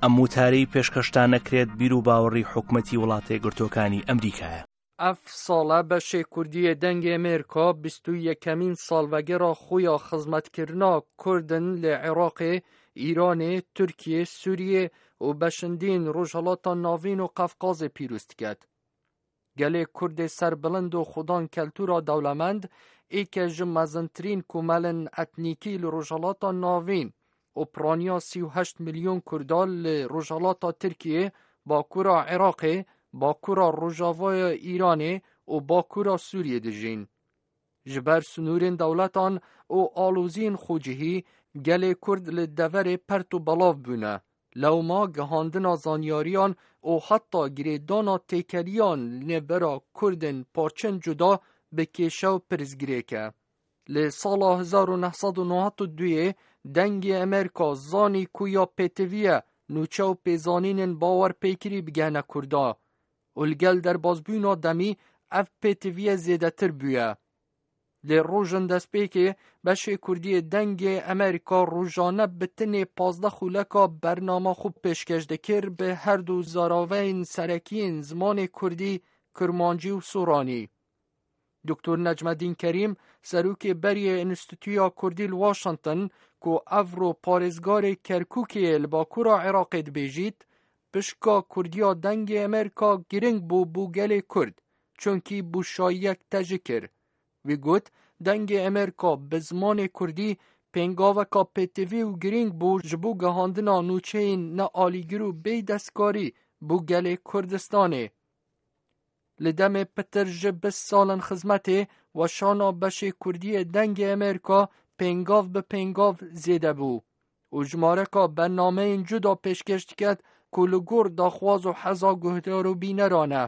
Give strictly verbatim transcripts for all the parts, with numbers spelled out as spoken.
ئەم وتارەی پێشکەشتان نەکرێت، بیر و باوەڕی حکومەتی وڵاتە یەکگرتووەکانی ئەمریکایە. Ev sale beşê Kurdî yê Dengê Amerîka bîst û yekemîn salvegera xwe ya xizmetkirina Kurd in li Iraqê, Îranê, Tirkiyê, Sûriyê û beşindîn Rojhilata Navîn û Qefqazê pîroz diket. Gelê Kurdê serbilind û xudan keltûra dewlemend, êke ji mezintirîn komelên etnîkî li Rojhilata Navîn û piraniya sî û heşt milyon Kurda li Rojhilata Tirkiyê, Bakura Iraqê, Bakura Rojavaya Îranê û Bakura Sûriyê dijîn. Ji ber sinûrên dewletan û aloziyên xwecihî, gelê Kurd li deverê pert û belav bûne. Lewma gihandina zanyariyan û heta girêdana têkeliyan li nêvera Kurdên parçên cuda bi kêşe û pirsgirêk e. Li sala hezar û neh sed û newed û duyê Dengê Amerîka zanî ku ya pêtivî ye nûçe û pêzanînên bawerpêkirî bigehne Kurda û li gel derbazbûna demî ev pêtiviye zêdetir bûye. Lê rojên destpêkê beşê Kurdî yê Dengê Amerîka rojane bi tinê pazdeh xuleka bernama xwe pêşkeş dikir, bi her du zaraveyên serekî yên zimanê Kurdî, Kirmancî û Soranî. Doktor Necmedîn Kerîm, serokê berî yê Enstîtuya Kurdî li Washington, ku evro parêzgarê Kerkûkê yê li bakura Iraqê dibêjît, pişka Kurdiya Dengê Amerîka giring bû bo gelê Kurd, çunkî bûşayiyek tejik kir. Wî got, Dengê Amerîka bi zimanê Kurdî pêngaveka pêtivî û girîng bû ji bo gihandina nûçeyên nealîgir û bê destkarî bo gelê Kurdistanê. Li demê pitir ji bîst salên xizmetê, weşana beşê Kurdî yê Dengê Amerîka pêngav bi pêngav zêde bû û jimareka bernameyên cuda pêşkeş diket ku li gor daxwaz û heza guhdar û bîneran e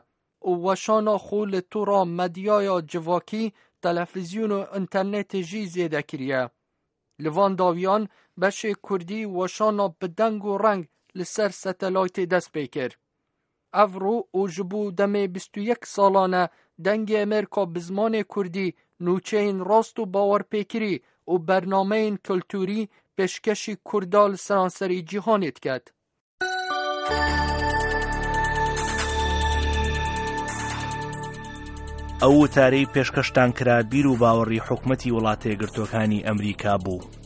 û weşana xwe li tora medyaya civakî, televîzyon û înternetê jî zêde kiriye. Li van dawiyan beşê Kurdî weşana bi deng û reng li ser satelaytê dest pê kir. Evro û ji bo demê bîst û yek salan e Dengê Amerîka bi zimanê Kurdî nûçeyên rast û bawerpêkirî û bernameyên kulturî pêşkeşî Kurda li seranserî cîhanê diket. ئەو وتارەی پێشکەشتان کرا بیر و باوەڕی حکومەتی وڵاتە یەکگرتووەکانی ئەمریکا بوو.